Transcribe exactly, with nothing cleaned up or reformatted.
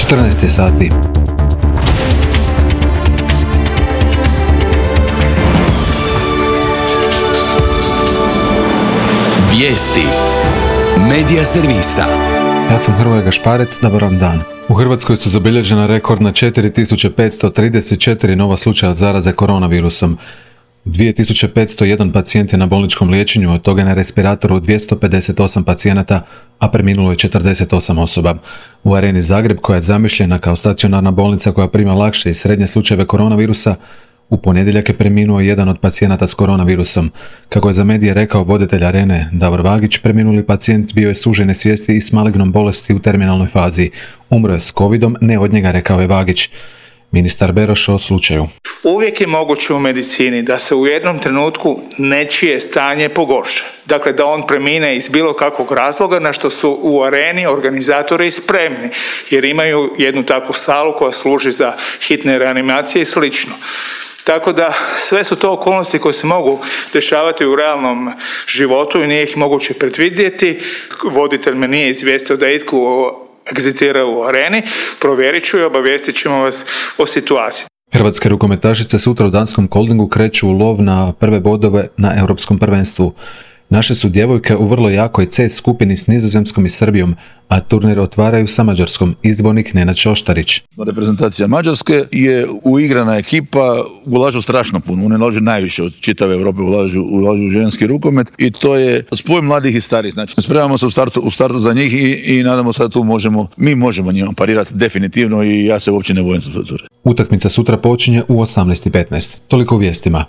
četrnaest je sati. Vijesti Medija servisa. Ja sam Hrvoje Gašparec, dobar vam dan. U Hrvatskoj su zabilježena rekordna četiri tisuće petsto trideset četiri nova slučaja zaraze koronavirusom. dvije tisuće petsto jedan pacijent je na bolničkom liječenju, od toga je na respiratoru dvjesto pedeset osam pacijenata, a preminulo je četrdeset osam osoba. U Areni Zagreb, koja je zamišljena kao stacionarna bolnica koja prima lakše i srednje slučajeve koronavirusa, u ponedjeljak je preminuo jedan od pacijenata s koronavirusom. Kako je za medije rekao voditelj Arene Davor Vagić, preminuli pacijent bio je sužene svijesti i s malignom bolesti u terminalnoj fazi. Umro je s covidom, ne od njega, rekao je Vagić. Ministar Beroš o slučaju. Uvijek je moguće u medicini da se u jednom trenutku nečije stanje pogorša. Dakle, da on premine iz bilo kakvog razloga, na što su u Areni organizatori spremni, jer imaju jednu takvu salu koja služi za hitne reanimacije i slično. Tako da sve su to okolnosti koje se mogu dešavati u realnom životu i nije ih moguće predvidjeti. Voditelj me nije izvijestio da je itko egzitirao u Areni. Provjerit ću i obavijestit ćemo vas o situaciji. Hrvatske rukometašice sutra u danskom Koldingu kreću u lov na prve bodove na europskom prvenstvu. Naše su djevojke u vrlo jakoj C skupini s Nizozemskom i Srbijom, a turnir otvaraju sa Mađarskom. Izbornik Nenad Šoštarić. Reprezentacija Mađarske je uigrana ekipa, ulažu strašno puno, one ulažu najviše od čitave Europe, ulažu, ulažu u ženski rukomet i to je spoj mladih i starih. Znači, spremamo se u startu, u startu za njih i, i nadamo se da tu možemo, mi možemo njima parirati definitivno i ja se uopće ne bojim za to. Utakmica sutra počinje u osamnaest i petnaest. Toliko u vijestima.